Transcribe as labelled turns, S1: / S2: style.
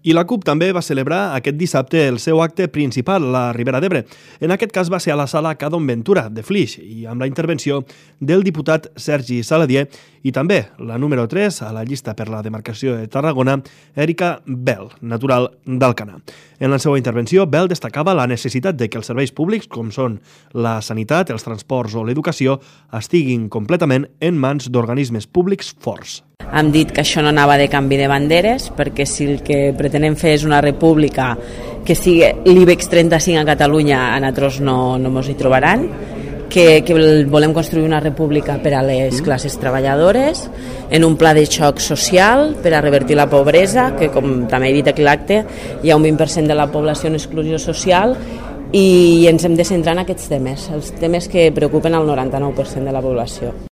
S1: I la CUP també va celebrar aquest dissabte el seu acte principal, la Ribera d'Ebre. En aquest cas va ser a la sala Cadon Ventura, de Flix, i amb la intervenció del diputat Sergi Saladier i també la número 3 a la llista per la demarcació de Tarragona, Erika Bell, natural d'Alcanar. En la seva intervenció, Bell destacava la necessitat de que els serveis públics, com són la sanitat, els transports o l'educació, estiguin completament en mans d'organismes públics forts.
S2: Hem dit que això no anava de canvi de banderes, perquè si el que pretenem fer és una república que sigui l'IBEX 35 a Catalunya, a nosaltres no ens hi trobaran, que volem construir una república per a les classes treballadores, en un pla de xoc social per a revertir la pobresa, que com també he dit aquí a l'acte, hi ha un 20% de la població en exclusió social, i ens hem de centrar en aquests temes, els temes que preocupen al 99% de la població.